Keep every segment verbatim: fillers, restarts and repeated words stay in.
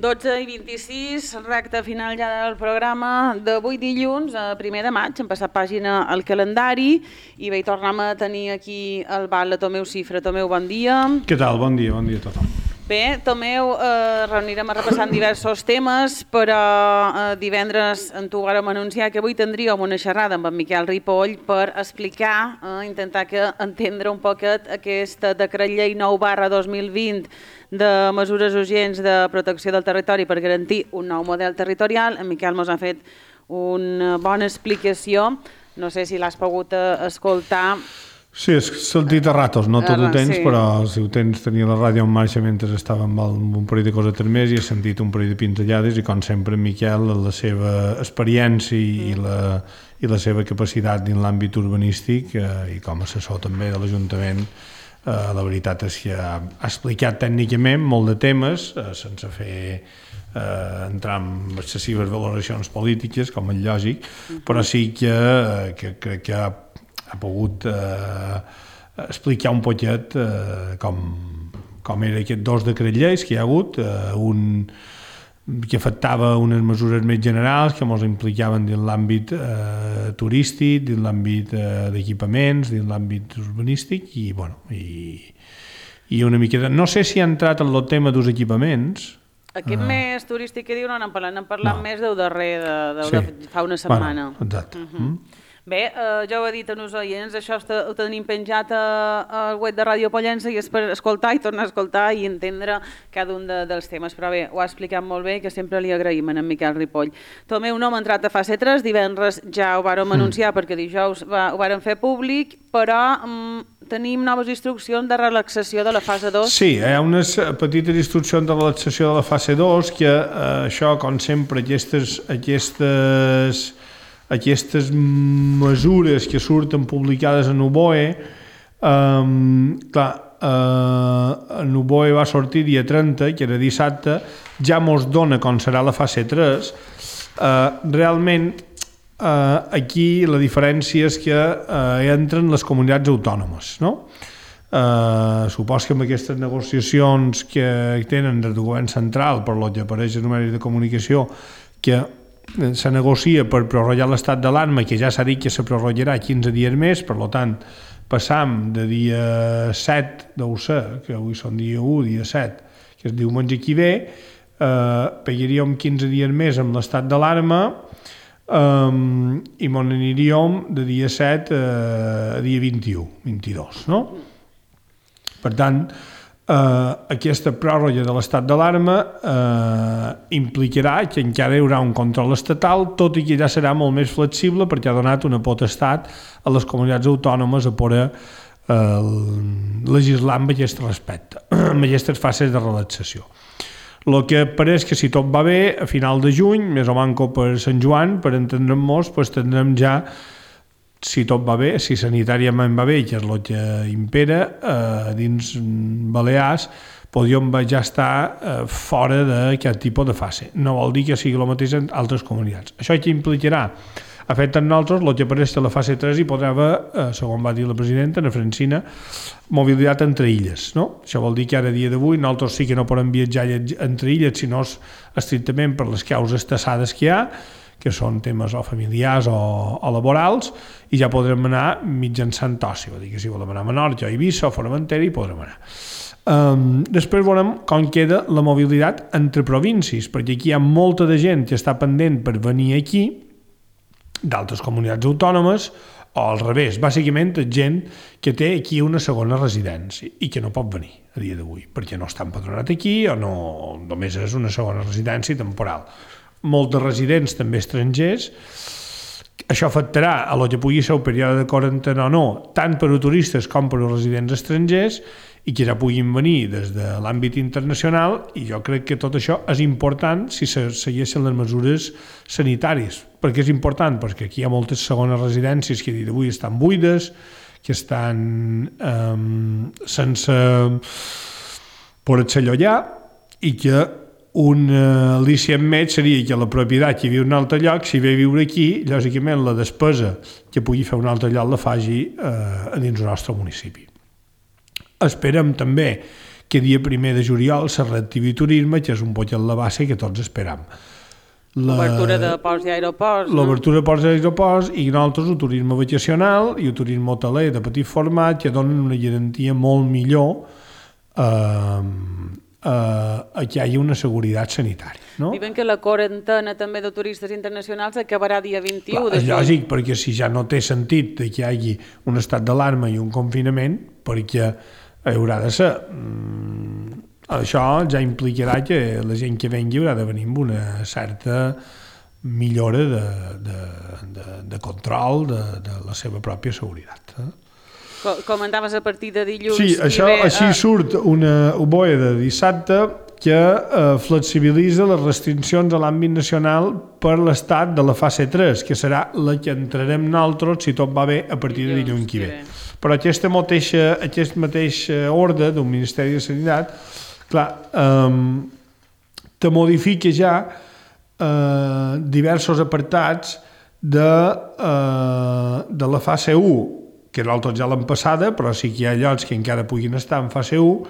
dotze i vint-i-sis, recta final ja del programa d'avui dilluns, primer de maig, hem passat pàgina al calendari i bé, tornem a tenir aquí el Val de Tomeu Cifra. Tomeu, bon dia. Què tal? Bon dia, bon dia a tothom. Bé, Tomeu, eh, reunirem a repassar diversos temes, però eh, divendres en tu vàrem anunciar que avui tindríem una xerrada amb en Miquel Ripoll per explicar, eh, intentar que entendre un poquet aquest decret llei nou barra dos mil vint de mesures urgents de protecció del territori per garantir un nou model territorial. En Miquel ens ha fet una bona explicació, no sé si l'has pogut escoltar. Sí, he sentit a ratos, no tot ho tens, sí. Però si ho tens, tenia la ràdio en marxa mentre estava amb un parell de coses més i he sentit un parell de pinzellades i com sempre en Miquel, la seva experiència i la, i la seva capacitat dins l'àmbit urbanístic eh, i com a assessor també de l'Ajuntament, eh, la veritat és que ha, ha explicat tècnicament molt de temes eh, sense fer eh, entrar en excessives valoracions polítiques, com és lògic, però sí que, eh, que crec que ha ha pogut eh, explicar un poquet eh, com, com era aquests dos decrets lleis que hi ha hagut, eh, un que afectava unes mesures més generals que ens implicaven dins l'àmbit eh, turístic, dins l'àmbit eh, d'equipaments, dins l'àmbit urbanístic i, bueno, i, i una miqueta... No sé si ha entrat en el tema dels equipaments. Aquest uh, més turístic que diu no n'hem parlat, n'hem parlat no. més del darrer, de, de, sí. de fa una setmana. Bueno, exacte. Uh -huh. mm. Bé, eh, ja ho he dit a els oients, això ho tenim penjat al web de Ràdio Pollença i és per escoltar i tornar a escoltar i entendre cada un de, dels temes, però bé, ho ha explicat molt bé, que sempre li agraïm a en Miquel Ripoll. Tomeu, no hem entrat a fase tres, divendres ja ho vàrem anunciar mm. perquè dijous va, ho vàrem fer públic, però mm, tenim noves instruccions de relaxació de la fase dos. Sí, hi ha unes petites instruccions de relaxació de la fase dos que eh, això, com sempre, aquestes... aquestes aquestes mesures que surten publicades en U B O E, um, clar, uh, en U B O E va sortir dia trenta, que era dissabte, ja mos dona com serà la fase tres. Uh, realment, uh, aquí la diferència és que uh, entren les comunitats autònomes, no? Uh, supos que amb aquestes negociacions que tenen des del govern central, per lo que apareix en els mitjans de comunicació, que se negocia per prorrogar l'estat d'alarma, que ja s'ha dit que se prorrogarà quinze dies més, per tant, passam de dia set, deu ser, que avui són dia u, dia set, que és diumenge que ve, eh, pegaríem quinze dies més amb l'estat d'alarma eh, i m'on aniríem de dia set eh, a dia vint-i-u, vint-i-dos, no? Per tant, Uh, aquesta pròrroga de l'estat d'alarma uh, implicarà que encara hi haurà un control estatal, tot i que ja serà molt més flexible perquè ha donat una potestat a les comunitats autònomes a poder uh, legislar amb aquest respecte, amb aquestes fases de relaxació. El que pareix que si tot va bé, a final de juny, més o manco per Sant Joan, per entendre'ns, pues, tindrem ja, si tot va bé, si sanitàriament va bé, que és el que impera, eh, dins Balears, podríem ja estar eh, fora d'aquest tipus de fase. No vol dir que sigui el mateix en altres comunitats. Això que implicarà, a fet en nosaltres, el que apareix a la fase tres hi podrà haver, eh, segons va dir la presidenta, Ana Francina, mobilitat entre illes, no? Això vol dir que ara, dia d'avui, nosaltres sí que no podem viatjar entre illes, sinó estrictament per les causes tassades que hi ha, que són temes o familiars o, o laborals, i ja podrem anar mitjançant oci, vol dir que si volem anar a Menorca o Eivissa o Formentera hi podrem anar. Um, després veurem com queda la mobilitat entre províncies, perquè aquí hi ha molta de gent que està pendent per venir aquí, d'altres comunitats autònomes, o al revés, bàsicament gent que té aquí una segona residència i que no pot venir a dia d'avui, perquè no està empadronat aquí o no, només és una segona residència temporal. Molts de residents també estrangers. Això afectarà a lo que pugui ser el període de quarantena o no, tant per a turistes com per a residents estrangers, i que ja puguin venir des de l'àmbit internacional, i jo crec que tot això és important si se segueixen les mesures sanitàries. Per què és important? Perquè aquí hi ha moltes segones residències que avui estan buides, que estan eh, sense poder-se allotjar, i que un uh, al·licient més seria que la propietat que viu en un altre lloc, si ve a viure aquí, lògicament la despesa que pugui fer un altre lloc la faci uh, dins el nostre municipi. Esperem també que dia primer de juliol se reactivi turisme, que és un poc la base que tots esperam. L'obertura de ports i aeroports. L'obertura de ports i aeroports i nosaltres el turisme vacacional i el turisme hoteler de petit format que donen una garantia molt millor eh, eh, que hi hagi una seguretat sanitària. No? Diuen que la quarantena també de turistes internacionals acabarà dia vint-i-u. Clar, és lògic, perquè si ja no té sentit que hi hagi un estat d'alarma i un confinament, perquè haurà de ser... Mm, això ja implicarà que la gent que vengui haurà de venir amb una certa millora de, de, de, de control de, de la seva pròpia seguretat. Eh? Comentaves a partir de dilluns... Sí, això, ve, així uh... surt una B O E de dissabte que eh, flexibilitza les restriccions a l'àmbit nacional per l'estat de la fase tres, que serà la que entrarem nosaltres, si tot va bé, a partir de dilluns que ve. Però aquesta mateixa, aquest mateix ordre del Ministeri de Sanitat, clar, eh, te modifica ja eh, diversos apartats de, eh, de la fase u, que nosaltres ja l'hem passada, però sí que hi ha llocs que encara puguin estar en fase u,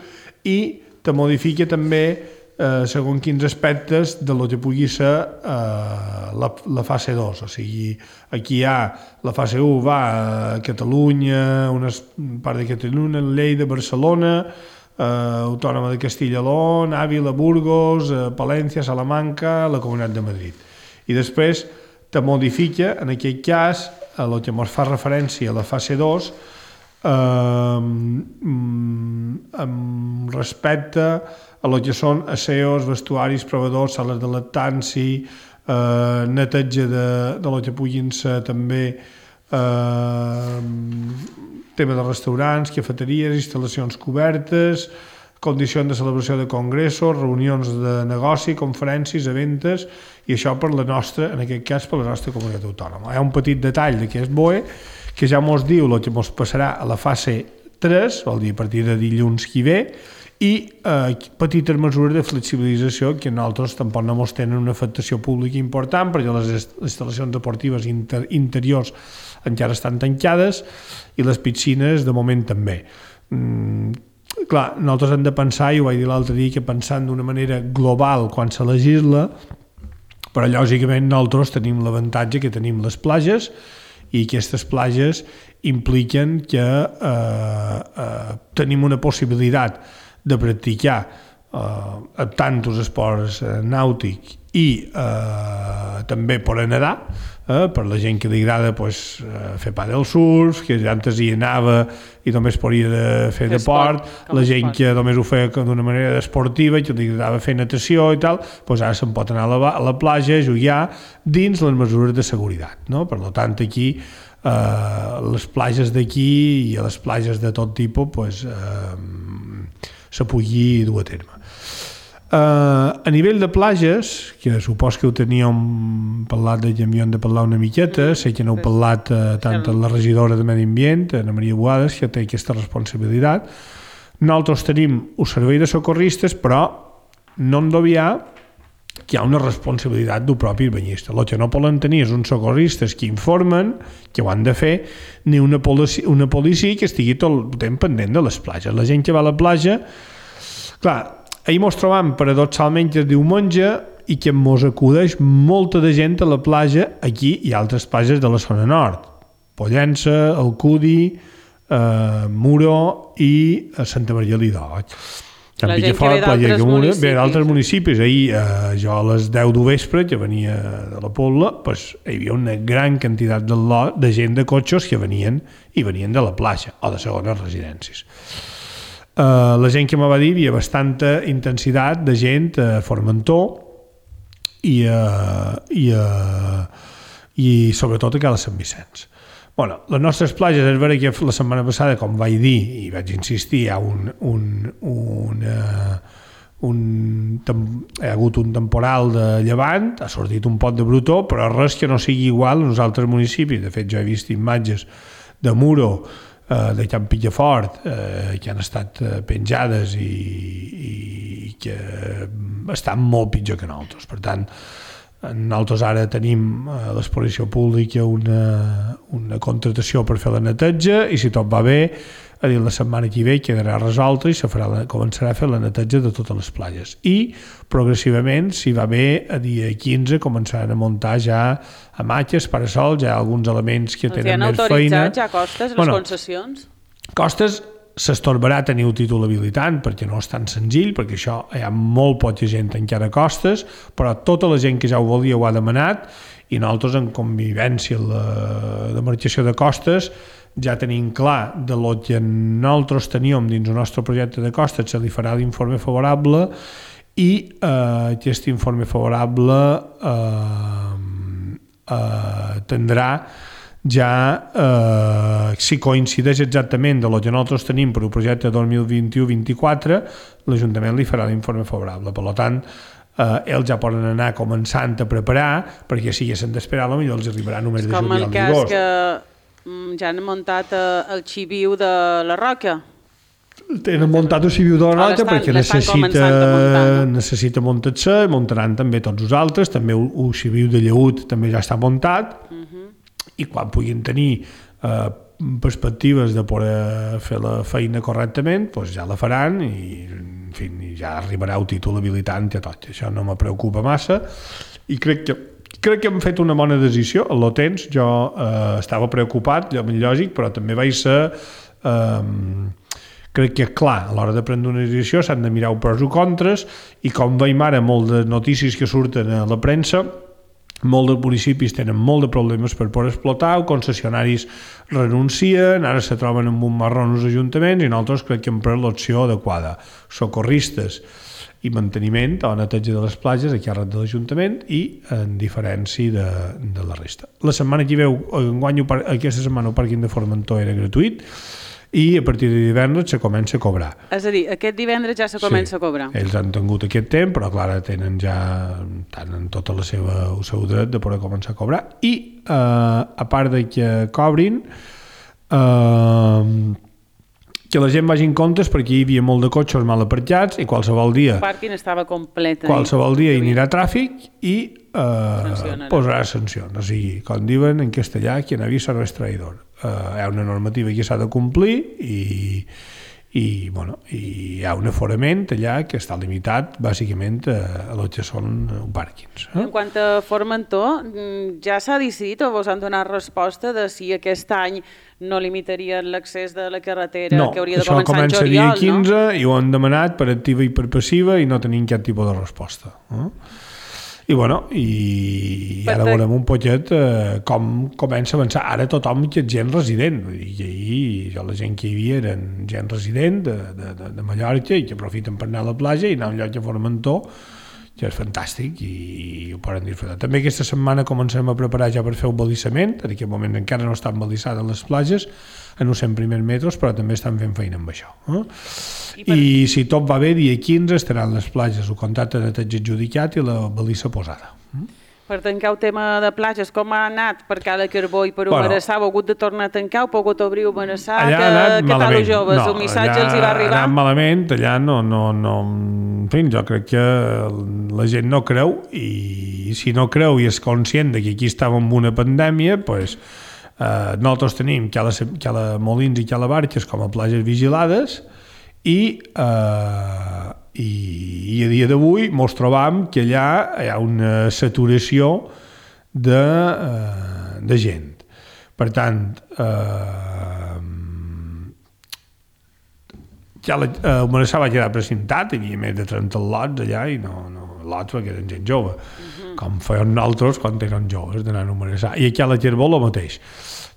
i te modifica també eh, segons quins aspectes de lo que pugui ser eh, la, la fase dos. O sigui, aquí hi ha la fase u va a Catalunya, una part de Catalunya, Lleida, Barcelona, eh, Autònoma de Castilla y León, Ávila, Burgos, eh, Palència, Salamanca, la Comunitat de Madrid. I després te modifica, en aquell cas, a el que ens fa referència a la fase dos, eh, amb respecte a el que són aseos, vestuaris, provadors, sales de lactanci, eh, neteja de, de lo que puguin ser també eh, tema de restaurants, cafeteries, instal·lacions cobertes, condicions de celebració de congressos, reunions de negoci, conferències, eventes, i això per la nostra, en aquest cas, per la nostra comunitat autònoma. Hi ha un petit detall d'aquest B O E que ja mos diu el que mos passarà a la fase tres, vol dir a partir de dilluns que ve, i eh, petites mesures de flexibilització que nosaltres tampoc no mos tenen una afectació pública important, perquè les instal·lacions deportives inter interiors encara estan tancades i les piscines de moment també. Mm, clar, nosaltres hem de pensar, i ho vaig dir l'altre dia, que pensant d'una manera global quan se legisla, però lògicament nosaltres tenim l'avantatge que tenim les platges i aquestes platges impliquen que eh, eh, tenim una possibilitat de practicar eh, tant els esports eh, nàutics i eh, també per nedar, eh, per la gent que li agrada pues, eh, fer paddle surf, que antes hi anava i només podia de fer de deport, la gent que només ho feia d'una manera esportiva, que li agradava fer natació i tal, pues ara se'n pot anar a la, a la platja a jugar dins les mesures de seguretat. No? Per tant, aquí eh, les platges d'aquí i a les platges de tot tipus pues, eh, se pugui dur a terme. Uh, a nivell de platges, que supos que ho teníem parlat de que hem de parlar una miqueta, sé que n'heu parlat uh, tant a la regidora de Medi Ambient, Ana Maria Boades, que té aquesta responsabilitat. Nosaltres tenim un servei de socorristes, però no hem d'obviar que hi ha una responsabilitat del propi banyista. El que no poden tenir és uns socorristes que informen, que ho han de fer, ni una policia, una policia que estigui tot el temps pendent de les platges. La gent que va a la platja, clar, ahir mos trobam paradoxalment que es diumenge i que mos acudeix molta de gent a la platja aquí i altres platges de la zona nord. Pollença, Alcudi, eh, Muro i Santa Maria Lidó. La gent que ve d'altres municipis. Ve d'altres municipis. Ahir, eh, jo a les deu del vespre, que venia de la Pobla, pues, hi havia una gran quantitat de, de gent de cotxes que venien i venien de la platja o de segones residències. Uh, la gent que me va dir, hi havia bastanta intensitat de gent a Formentor i, uh, i, uh, i sobretot a Cala Sant Vicenç. Bueno, les nostres platges, és vera que la setmana passada, com vaig dir i vaig insistir, hi ha un, un, un, uh, un hi ha hagut un temporal de llevant, ha sortit un pot de brutó, però res que no sigui igual en els altres municipis. De fet, jo he vist imatges de Muro, de Can Pillafort, eh, que han estat penjades i, i que estan molt pitjor que nosaltres. Per tant, nosaltres ara tenim a l'exposició pública una, una contratació per fer la neteja i si tot va bé, a dir, la setmana que ve quedarà resolta i se farà la, començarà a fer la neteja de totes les platges. I progressivament, si va bé, a dia quinze començaran a muntar ja hamaques, parasols, ja alguns elements que tenen més feina. Els han autoritzat ja Costes, les bueno, concessions? Costes s'estorbarà tenir un títol habilitant perquè no és tan senzill, perquè això hi ha molt poca gent encara a Costes, però tota la gent que ja ho volia ho ha demanat i nosaltres en convivència la, de marxació de Costes ja tenim clar de lo que nosaltres teníem dins el nostre projecte de Costes se li farà l'informe favorable i eh, aquest informe favorable eh, eh, tindrà ja, eh, si coincideix exactament de lo que nosaltres tenim per el projecte dos mil vint-i-u vint-i-quatre, l'Ajuntament li farà l'informe favorable. Per tant, eh, ells ja poden anar començant a preparar, perquè si haguessin d'esperar, potser els arribarà només de juliol i agost. Com el cas que ja han muntat el xiviu de la Roca. Tenen muntat el xiviu de la Roca perquè necessita, necessita muntar-se, muntaran també tots els altres, també el, el xiviu de Lleut també ja està muntat, uh -huh. i quan puguin tenir eh, perspectives de poder fer la feina correctament, doncs ja la faran i, en fi, ja arribarà el títol habilitant i tot. Això no me preocupa massa i crec que crec que hem fet una bona decisió. En el temps jo eh, estava preocupat, lògic, però també vaig ser... Eh, crec que, clar, a l'hora de prendre una decisió s'han de mirar pros i contres i com veiem ara molt de notícies que surten a la premsa, molts dels municipis tenen molt de problemes per poder explotar, els concessionaris renuncien, ara se troben amb un marrón els ajuntaments i nosaltres crec que hem pres l'opció adequada. Socorristes i manteniment o neteja de les platges aquí arrel de l'Ajuntament i en diferència de, de la resta. La setmana que veu, enguany, aquesta setmana el pàrquing de Formentor era gratuït i a partir de divendres se comença a cobrar. És a dir, aquest divendres ja se comença sí, a cobrar. Ells han tingut aquest temps, però clar, tenen ja tenen tot la seva, el seu dret de poder començar a cobrar. I eh, a part de que cobrin, eh, que la gent vagi en comptes perquè hi havia molt de cotxes mal aparcats i qualsevol dia el pàrquing estava complet. Qualsevol dia hi anirà tràfic i eh, posarà sancions. O sigui, com diuen en castellà, quien avisa no és traïdor. Uh, hi ha una normativa que s'ha de complir i, i, bueno, i hi ha un aforament allà que està limitat bàsicament a, a el que són pàrquings. Eh? En quant a Formentor, ja s'ha decidit o vos han donat resposta de si aquest any no limitarien l'accés de la carretera no, que hauria de començar en juliol? No, això comença dia quinze no? I ho han demanat per activa i per passiva i no tenim cap tipus de resposta. Eh? I, bueno, i ara veurem un poquet eh, com comença a avançar. Ara tothom és gent resident. I ahir jo, la gent que hi havia eren gent resident de, de, de, de Mallorca i que aprofiten per anar a la platja i anar a un lloc a Formentor, que és fantàstic i, i ho poden disfrutar. També aquesta setmana comencem a preparar ja per fer un balissament. En aquest moment encara no estan balissades les platges, en els cent primers metres, però també estan fent feina amb això. Eh? I, per... I si tot va bé, dia quinze estaran les platges, el contracte de neteja adjudicat i la balissa posada. Mm? Per tancar el tema de platges, com ha anat per Cala Carbó i per Humerassar? Heu hagut de tornar a tancar, heu pogut obrir Humerassar? Allà ha anat que, malament. Que tal joves? No, el missatge els hi va arribar? Ha anat malament, allà no, no, no... En fi, jo crec que la gent no creu i si no creu i és conscient que aquí estàvem en una pandèmia, doncs pues, eh, nosaltres tenim Cala, Cala Molins i Cala Barques com a platges vigilades i, eh, i, i a dia d'avui ens trobam que allà hi ha una saturació de, eh, de gent. Per tant, eh, ja la, eh, Humerassar va quedar precintat, hi havia més de trenta lots allà i no, no lots perquè eren gent jove, uh-huh. com feien nosaltres quan eren joves d'anar a Humerassar. I aquí a la Carbó el mateix.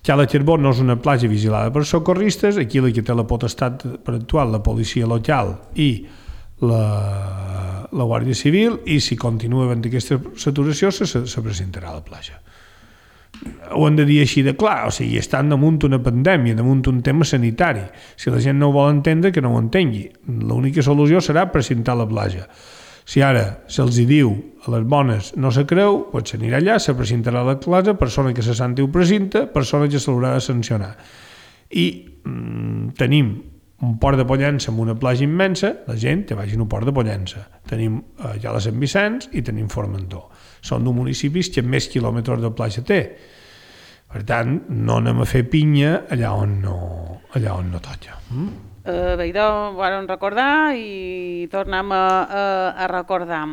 Cala Carbó no és una platja vigilada per socorristes, aquí la que té la potestat per actuar la policia local i la, la Guàrdia Civil, i si continua havent aquesta saturació se, se presentarà a la platja. Ho hem de dir així de clar, o sigui, estan damunt una pandèmia, damunt un tema sanitari. Si la gent no ho vol entendre, que no ho entengui. L'única solució serà presentar la platja. Si ara se'ls hi diu a les bones no se creu, doncs s'anirà allà, se presentarà a la classe, persona que se senti ho presenta, persona que se l'haurà de sancionar. I mm, tenim un port de Pollença amb una platja immensa, la gent que vagi a un port de Pollença. Tenim eh, ja la Sant Vicenç i tenim Formentor. Són dos municipis que més quilòmetres de platja té. Per tant, no anem a fer pinya allà on no, allà on no toca. Mm? Uh, bé, idò ho vam recordar i tornem a, a, a recordar.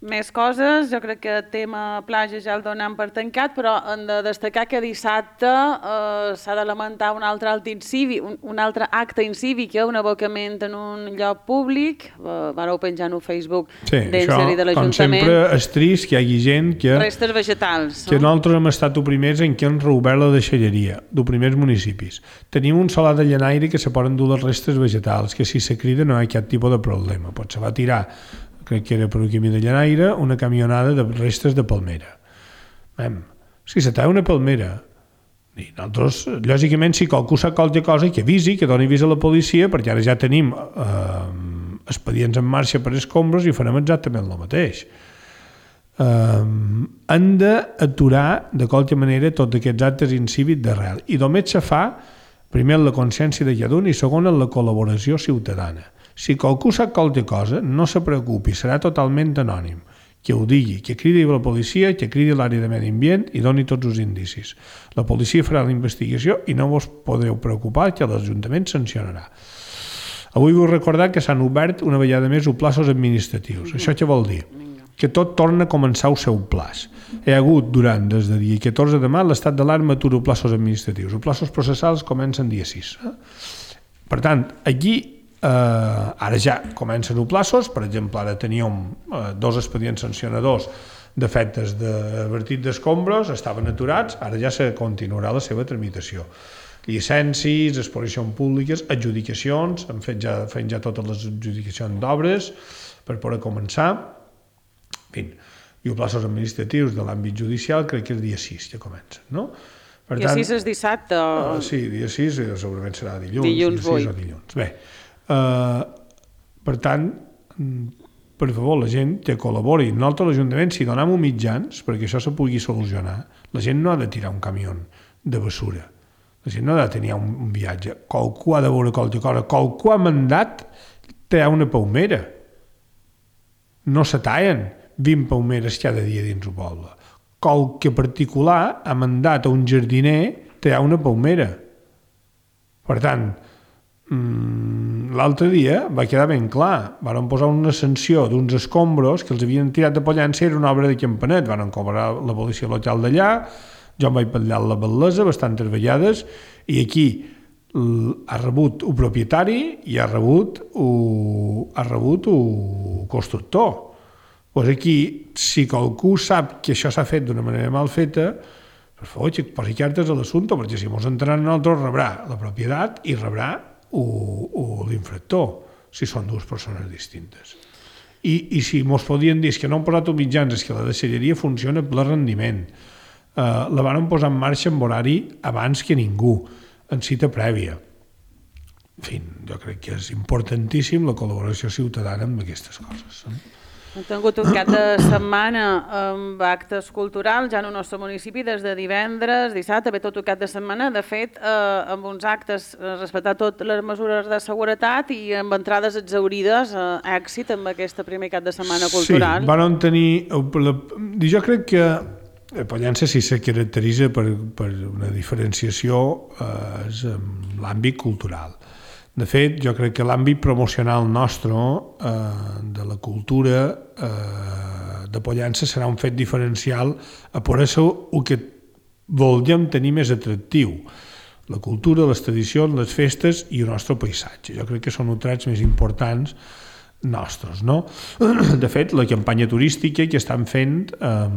Més coses, jo crec que el tema platja ja el donem per tancat, però hem de destacar que dissabte eh, s'ha de lamentar un altre, acte incívic, un, un altre acte incívic, un abocament en un lloc públic, eh, vareu penjar en Facebook sí, d'Encer i de l'Ajuntament. Com sempre és trist que hi hagi gent que... Restes vegetals. Que no? Nosaltres hem estat els primers en què hem reobert la deixalleria, dels primers municipis. Tenim un solar de llenaire que se poden dur les restes vegetals, que si se crida no hi ha cap tipus de problema. Pot se va tirar, crec que era per un camí de llenaire, una camionada de restes de palmera. Mem, si se talla una palmera, i nosaltres, lògicament, si qualcú sap qualque cosa, que avisi, que doni avís a la policia, perquè ara ja tenim eh, expedients en marxa per escombros i farem exactament el mateix. Eh, han d'aturar, de qualque manera, tots aquests actes incívics d'arrel. I només se fa, primer, la consciència de cada un i segon, la col·laboració ciutadana. Si qualcú sap qualque cosa, no se preocupi, serà totalment anònim. Que ho digui, que cridi a la policia, que cridi a l'àrea de medi ambient i doni tots els indicis. La policia farà la investigació i no vos podeu preocupar que l'Ajuntament sancionarà. Avui vull recordar que s'han obert una vegada més els plaços administratius. Això què vol dir? Que tot torna a començar el seu plaç. Hi ha hagut durant, des de dia catorze de maig, l'estat d'alarma atura els plaços administratius. Els plaços processals comencen dia sis. Per tant, aquí Uh, ara ja comencen els plaços, per exemple, ara teníem uh, dos expedients sancionadors d'efectes d'avertit d'escombros, estaven aturats, ara ja se continuarà la seva tramitació. Llicències, exposicions públiques, adjudicacions, hem fet ja, fent ja totes les adjudicacions d'obres per poder començar. En fi, i els plaços administratius de l'àmbit judicial crec que és dia sis que comencen, no? Per dia tant, sis és dissabte? O... Uh, sí, dia sis segurament serà dilluns. Dilluns, dia sis o dilluns. Bé, Uh, per tant, per favor, la gent que col·labori. Nosaltres, l'Ajuntament, si donem mitjans perquè això se pugui solucionar, la gent no ha de tirar un camió de bessura. La gent no ha de tenir un, un viatge. Qualcú ha de veure qualque cosa. Qualcú ha mandat tallar una palmera. No se tallen vint palmeres cada dia dins el poble. Qualque particular ha mandat a un jardiner tallar una palmera. Per tant, l'altre dia va quedar ben clar, van posar una sanció d'uns escombros que els havien tirat de Pollença, era una obra de Campanet, van cobrar la policia local d'allà, jo em vaig parlar la bellesa, bastantes vegades, i aquí ha rebut un propietari i ha rebut un, ha rebut un constructor. Pues aquí, si qualcú sap que això s'ha fet d'una manera mal feta, per favor, que posi cartes a l'assumpte, perquè si mos entraran nosaltres rebrà la propietat i rebrà o, o l'infractor, si són dues persones distintes. I, i si mos podien dir que no han posat els mitjans, és que la deixalleria funciona per rendiment. Uh, la van posar en marxa en horari abans que ningú, en cita prèvia. En fi, jo crec que és importantíssim la col·laboració ciutadana amb aquestes coses. Eh? Hem tingut un cap de setmana amb actes culturals ja en el nostre municipi des de divendres, dissabte, ve tot el cap de setmana. De fet, eh, amb uns actes respectar totes les mesures de seguretat i amb entrades exaurides, eh, èxit amb aquest primer cap de setmana cultural. Sí, van tenir... Jo crec que Pollença sí se caracteritza per, per una diferenciació eh, és en l'àmbit cultural. De fet, jo crec que l'àmbit promocional nostre eh, de la cultura eh, de Pollença serà un fet diferencial a per això el que volíem tenir més atractiu. La cultura, les tradicions, les festes i el nostre paisatge. Jo crec que són els trets més importants nostres, no? De fet, la campanya turística que estan fent eh,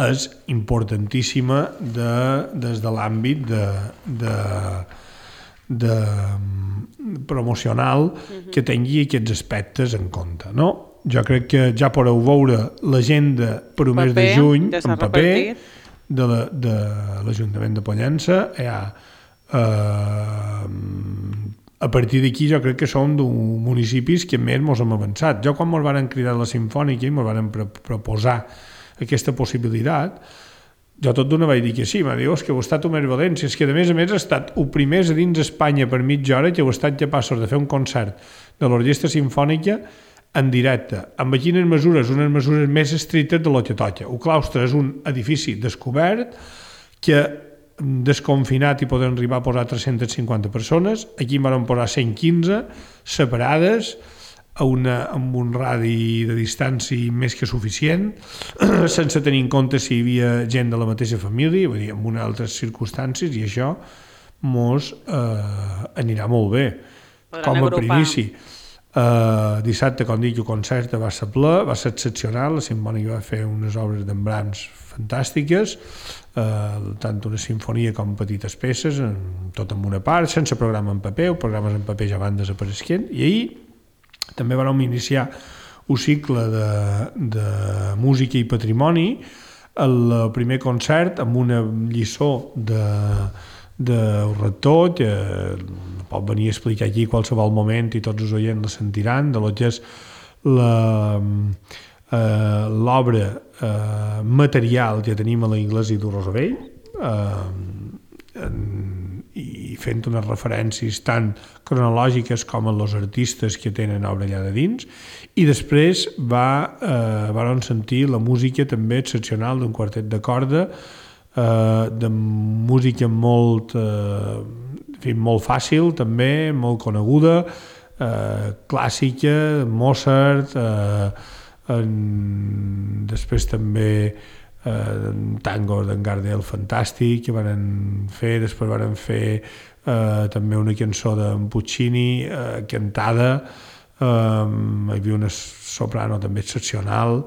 és importantíssima de, des de l'àmbit de... de de promocional que tingui aquests aspectes en compte, no? Jo crec que ja podeu veure l'agenda per un mes de juny en paper de l'Ajuntament de Pollença. Ja, eh, a partir d'aquí jo crec que som d'un municipis que més ens hem avançat. Jo quan ens van cridar a la Simfònica i ens van proposar aquesta possibilitat, jo tot d'una vaig dir que sí, m'ha dit, és que heu estat un més valents, és que a més a més ha estat el primer a dins Espanya per mitja hora que heu estat capaços de fer un concert de l'Orquestra Simfònica en directe, amb quines mesures, unes mesures més estrictes de lo que toca. El claustre és un edifici descobert que desconfinat i poden arribar a posar tres-centes cinquanta persones, aquí en van posar cent quinze separades a una, amb un radi de distància més que suficient, sense tenir en compte si hi havia gent de la mateixa família, vull dir, en unes altres circumstàncies, i això mos eh, anirà molt bé. Podran com a agrupar. primici. Uh, dissabte, com dic, el concert va ser ple, va ser excepcional, la Simfònica va fer unes obres d'embrans fantàstiques, uh, tant una sinfonia com petites peces, en, tot en una part, sense programa en paper, els programes en paper ja van desapareixent, i ahir també vam iniciar un cicle de, de música i patrimoni, el primer concert amb una lliçó de del rector, que pot venir a explicar aquí qualsevol moment i tots els oients la sentiran, de lo que és l'obra eh, material que tenim a l'Església de Rosavell, eh, i fent unes referències tant cronològiques com a els artistes que tenen obra allà de dins, i després va, eh, van sentir la música també excepcional d'un quartet de corda, Uh, de música molt uh, en fi, molt fàcil també, molt coneguda, uh, clàssica, Mozart, uh, en, després també uh, tango d'en Gardel fantàstic que van fer, després van fer uh, també una cançó d'en Puccini uh, cantada, uh, hi havia una soprano també excepcional.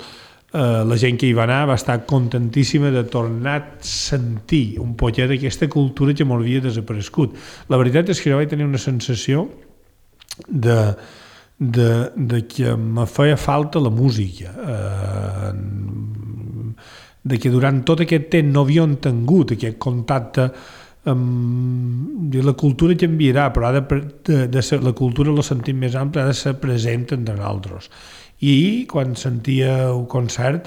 Uh, la gent que hi va anar va estar contentíssima de tornar a sentir un poquet d'aquesta cultura que m'havia desaparegut. La veritat és que jo vaig tenir una sensació de, de, de que me feia falta la música, uh, de que durant tot aquest temps no havíem tingut aquest contacte amb la cultura canviarà, però ha de, de, de ser, la cultura, la sentim més ampla, ha de ser present entre nosaltres. I quan sentia un concert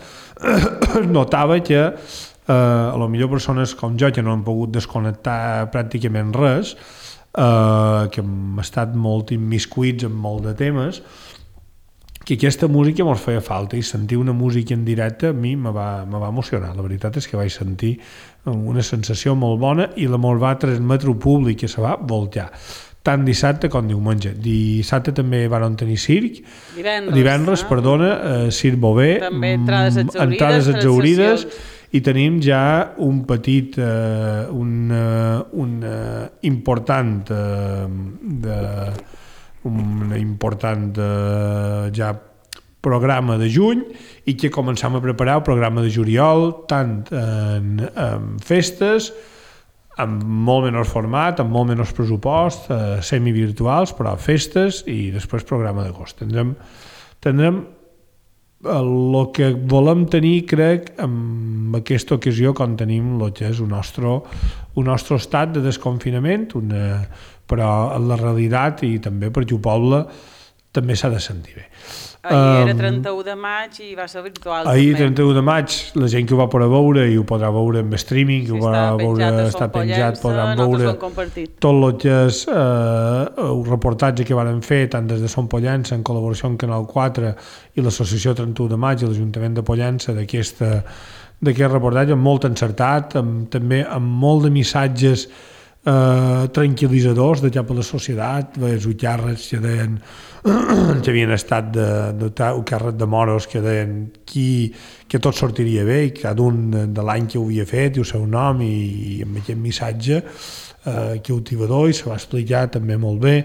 notava que eh, a lo millor persones com jo que no han pogut desconnectar pràcticament res, eh, que hem estat molt immiscuits en molt de temes, que aquesta música mos feia falta, i sentir una música en directe a mi me va, me va emocionar. La veritat és que vaig sentir una sensació molt bona i la mos va transmetre el públic, que se va voltar tant dissabte com diumenge. Dissabte també van tenir circ, divendres, divendres eh? perdona, eh, circ Bové, també entrades exaurides, entrades exaurides, i tenim ja un petit, eh, un, uh, un uh, important uh, de, un important uh, ja programa de juny, i que començam a preparar el programa de juliol, tant en, en festes, amb molt menys format, amb molt menys pressupost, eh, semivirtuals, però festes, i després programa d'agost. Tindrem, tindrem el que volem tenir, crec, en aquesta ocasió, quan tenim el que és un nostre, un nostre estat de desconfinament, una, però en la realitat, i també perquè el poble també s'ha de sentir bé. Ahir era trenta-u de maig i va ser virtual. Ahir, també. trenta-u de maig, la gent que ho va poder veure i ho podrà veure en streaming, que Sí, ho podrà veure, està penjat, podran veure tot el que és eh, el reportatge que van fer, tant des de Son Pollença, en col·laboració amb Canal quatre i l'associació trenta-u de maig i l'Ajuntament de Pollença, d'aquest reportatge, molt encertat, amb, també amb molt de missatges eh, tranquil·litzadors de cap a la societat, els ucàrrecs que deien que havien estat de, de, de càrrec de moros, que deien qui, que tot sortiria bé, i cada un de, de l'any que ho havia fet i el seu nom, i, i amb aquest missatge eh, cautivador, i se va explicar també molt bé,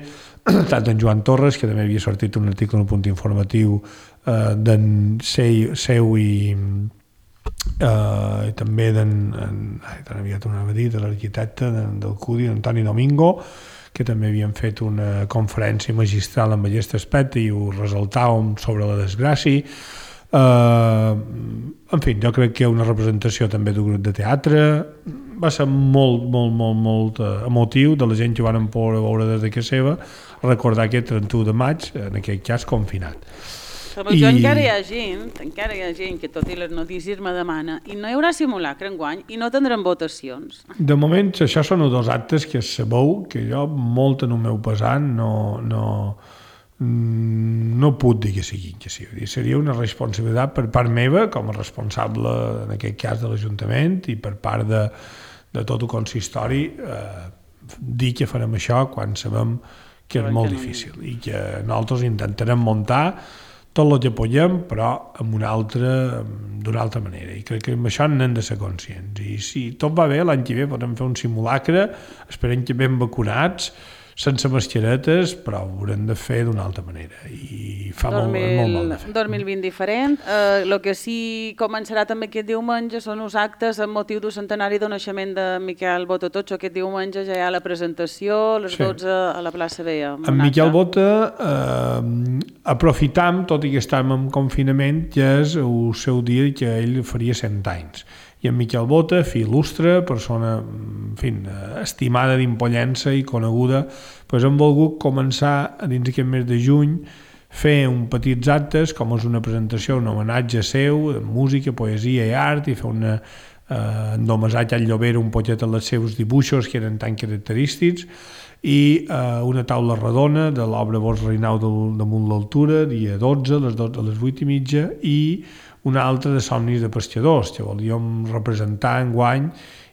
tant en Joan Torres, que també havia sortit un article en un punt informatiu eh, d'en seu, seu i Uh, i també d'en tan aviat ho anava a dir, de l'arquitecte del C U D I, Antoni Domingo, que també havien fet una conferència magistral amb aquest aspecte i ho resaltàvem sobre la desgràcia. Uh, en fi, jo crec que una representació també d'un grup de teatre va ser molt, molt, molt, molt emotiu, de la gent que van poder veure des de casa seva, recordar aquest trenta-u de maig, en aquest cas confinat. Però I... encara hi ha gent, encara hi ha gent que tot i les notícies me demana, i no hi haurà simulacre enguany i no tindrem votacions. De moment, això són dos actes que sabeu que jo, molt en el meu pesant, no, no, no puc dir que siguin que sí. Seria una responsabilitat per part meva, com a responsable, en aquest cas, de l'Ajuntament, i per part de, de tot el consistori eh, dir que farem això quan sabem que és molt difícil i que nosaltres intentarem muntar tot el que podem, però amb una altra, d'una altra manera. I crec que amb això n'hem de ser conscients. I si tot va bé, l'any que ve podem fer un simulacre, esperem que ben vacunats, sense mascaretes, però ho haurem de fer d'una altra manera. I fa molt, molt mal de fer. dos mil vint diferent. El uh, que sí començarà també aquest diumenge són els actes amb motiu del centenari del naixement de Miquel Bota Totxo. Aquest diumenge ja hi ha la presentació a les sí. dotze a la plaça Vella. En Miquel Bota eh, aprofitam, tot i que estem en confinament, que és el seu dia que ell faria cent anys. I en Miquel Bota, fill il·lustre, persona en fi, estimada d'Impollença i coneguda, doncs hem volgut començar a dins aquest mes de juny fer un petits actes, com és una presentació, un homenatge seu, de música, poesia i art, i fer una eh, endomassatge al Llobera un poquet als seus dibuixos que eren tan característics, i eh, una taula redona de l'obra Bosch Reinau damunt l'altura, dia dotze, a les, dotze, a les vuit i mitja, i una altra de somnis de pescadors, que volíem representar enguany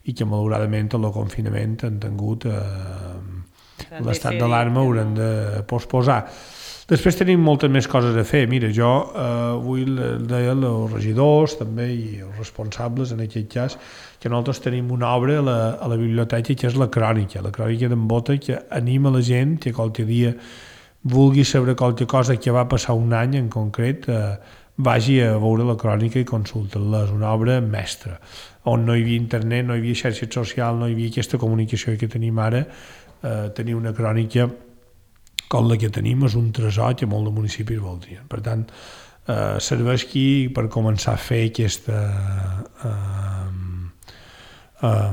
i que malauradament el confinament han tingut eh, l'estat d'alarma, haurem de posposar. Després tenim moltes més coses a fer. Mira, jo eh, avui deia els regidors també i els responsables en aquest cas que nosaltres tenim una obra a la, a la biblioteca que és la crònica, la crònica d'en Bota, que anima la gent que qualque dia vulgui saber qualque cosa que va passar un any en concret, eh, vagi a veure la crònica i consulta-la. És una obra mestra, on no hi havia internet, no hi havia xarxes socials, no hi havia aquesta comunicació que tenim ara. Eh, tenir una crònica com la que tenim és un tresor que molts municipis voldrien. Per tant, eh, serveix aquí per començar a fer aquesta eh, eh,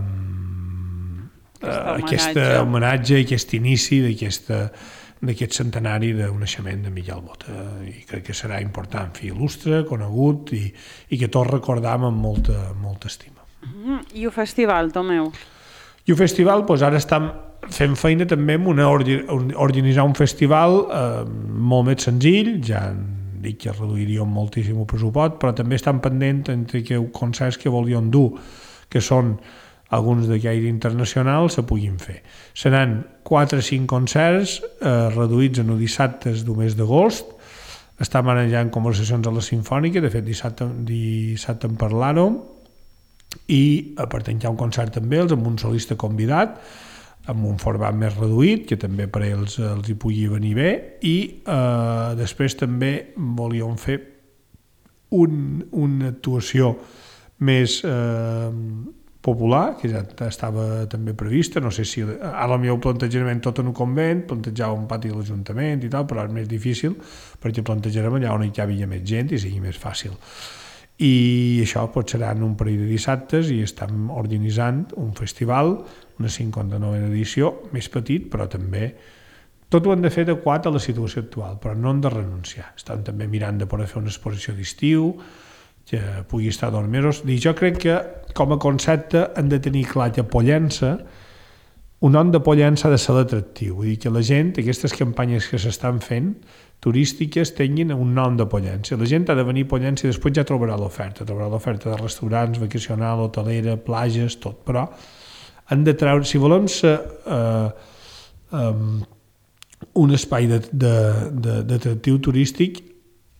aquest homenatge, aquest inici d'aquesta d'aquest centenari del naixement de Miquel Bota, i crec que serà important, fill il·lustre, conegut, i, i que tots recordam amb molta, molta estima. Mm, I el festival, Tomeu? I el festival, doncs ara estem fent feina també amb una, organitzar un festival eh, molt més senzill, ja dic que reduiríem moltíssim el pressupost, però també estan pendents entre que concerts que volien dur, que són alguns de caire internacional, se puguin fer. Seran quatre o cinc concerts eh, reduïts en els dissabtes del mes d'agost. Estem ara ja en conversacions a la Simfònica, de fet dissabte, dissabte en parlàrem, i a part hi ha un concert amb ells, amb un solista convidat, amb un format més reduït, que també per ells els hi pugui venir bé, i eh, després també volíem fer un, una actuació més eh, popular, que ja estava també prevista, no sé si ara el meu plantejament tot en un convent, plantejava un pati de l'Ajuntament i tal, però és més difícil perquè plantejarem allà on hi havia més gent i sigui més fàcil. I això pot ser en un parell de dissabtes i estem organitzant un festival, una cinquanta-novena edició, més petit, però també tot ho hem de fer adequat a la situació actual, però no hem de renunciar. Estem també mirant de poder fer una exposició d'estiu, que pugui estar dos mesos. I jo crec que, com a concepte, hem de tenir clar que Pollença, un nom de Pollença ha de ser l'atractiu. Vull dir que la gent, aquestes campanyes que s'estan fent, turístiques, tinguin un nom de Pollença. La gent ha de venir a Pollença i després ja trobarà l'oferta. Trobarà l'oferta de restaurants, vacacional, hotelera, plages, tot. Però han de treure, si volem ser eh, um, un espai d'atractiu turístic,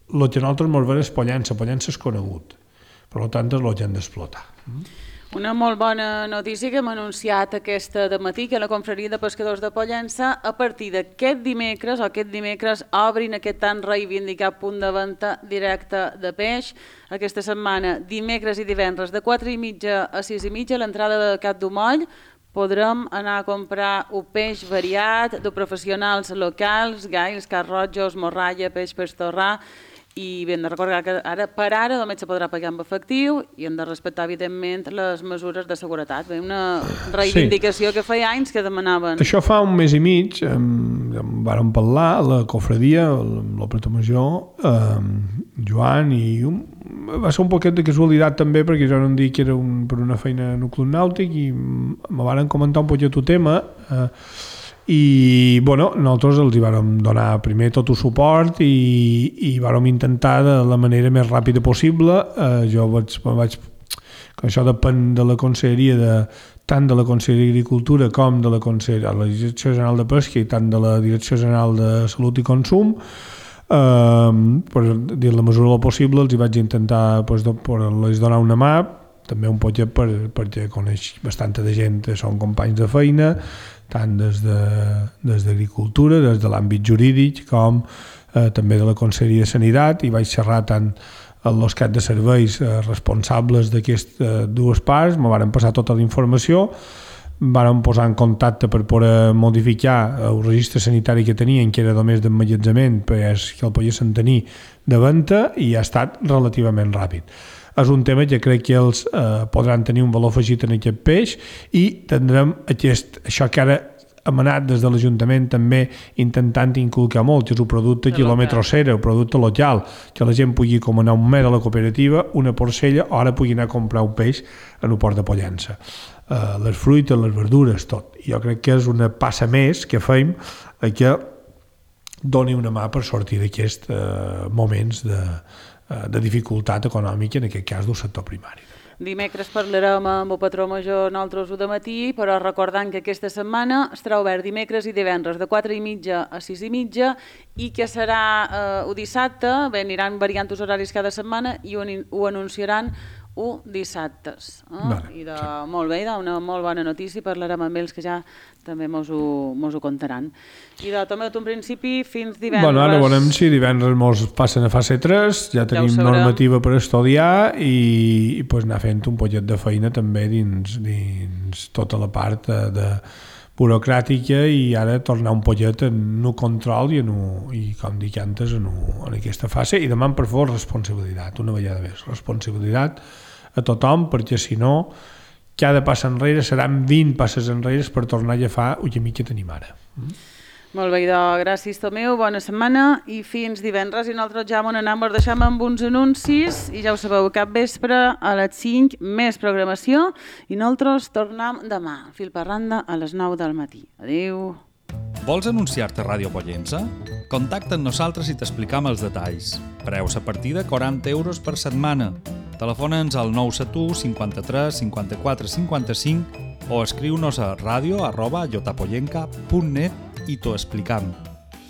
el que nosaltres ens veiem és Pollença. Pollença és conegut, per tant és el que hem d'explotar. Una molt bona notícia que hem anunciat aquesta dematí, que la Confraria de Pescadors de Pollença, a partir d'aquest dimecres, o aquest dimecres, obrin aquest tan reivindicat punt de venda directe de peix. Aquesta setmana, dimecres i divendres, de quatre i mitja a sis i mitja, a l'entrada de Cap d'Umoll, podrem anar a comprar un peix variat de professionals locals, gais, carrotjos, morralla, peix pestorrà, i hem de recordar que ara, per ara només se podrà pagar amb efectiu i hem de respectar, evidentment, les mesures de seguretat. Una reivindicació sí. que feia anys que demanaven. Això fa un mes i mig, eh, vàrem parlar a la cofradia, amb el pretor major, eh, Joan, i un, va ser un poquet de casualitat també, perquè jo no em dic que era un, per una feina en un club nàutic, i me van comentar un poquet el tema, eh, i bueno, nosaltres els hi vàrem donar primer tot el suport i, i vàrem intentar de la manera més ràpida possible. Eh, jo vaig, vaig, que això depèn de la conselleria, de tant de la Conselleria d'Agricultura com de la, Conselleria, la Direcció General de Pesca i tant de la Direcció General de Salut i Consum. Eh, per dir la mesura del possible els hi vaig intentar pues, de, per les donar una mà, també un poquet per, perquè coneix bastanta de gent que són companys de feina, tant des de, des d'Agricultura, des de l'àmbit jurídic com eh, també de la Conselleria de Sanitat, i vaig xerrar tant els caps de serveis eh, responsables d'aquestes eh, dues parts, me varen passar tota la informació, varen posar en contacte per poder modificar el registre sanitari que tenien, que era només d'emmagatzemament, perquè el poguessin tenir de venda, i ha estat relativament ràpid. És un tema que crec que ells eh, podran tenir un valor afegit en aquest peix, i tindrem aquest, això que ara hem anat des de l'Ajuntament també intentant inculcar molt, que és un producte quilòmetre zero, un producte local, que la gent pugui com anar un mes a la cooperativa, una porcella, o ara pugui anar a comprar un peix en un port de Pollença. Uh, les fruites, les verdures, tot. Jo crec que és una passa més que fem a que doni una mà per sortir d'aquests uh, moments de, uh, de dificultat econòmica, en aquest cas del sector primari. Dimecres parlarem amb el patró major nosaltres de matí, però recordant que aquesta setmana estarà obert dimecres i divendres de quatre i mitja a sis i mitja, i que serà eh, el dissabte, bé, aniran variant els horaris cada setmana i ho, ho anunciaran un dissabtes. Eh? Vale, I de, sí. Molt bé, una molt bona notícia, parlarem amb ells que ja també mos ho, mos ho contaran. I de també un principi fins divendres. Bueno, ara veurem si divendres mos passen a fase tres, ja tenim ja normativa per estudiar i, i pues, anar fent un poquet de feina també dins, dins tota la part de, de burocràtica, i ara tornar un poquet en un control i, en un, i com dic antes, en, un, en aquesta fase, i demà per favor responsabilitat, una vegada més, responsabilitat a tothom, perquè si no cada passa enrere seran vint passes enrere per tornar a agafar el camí que tenim ara. Mm? Molt bé, idò. Gràcies, Tomeu, bona setmana i fins divendres. I nosaltres ja m'on anem, us deixem amb uns anuncis i ja ho sabeu, cap vespre a les cinc més programació i nosaltres tornem demà, fil per randa, a les nou del matí. Adéu. Vols anunciar-te a Ràdio Pollença? Contacta amb nosaltres i t'explicam els detalls. Preus a partir de quaranta euros per setmana. Telefona'ns al nou set u cinquanta-tres cinquanta-quatre cinquanta-cinc o escriu-nos a radio arroba llotapollenca punt net i t'ho explicam.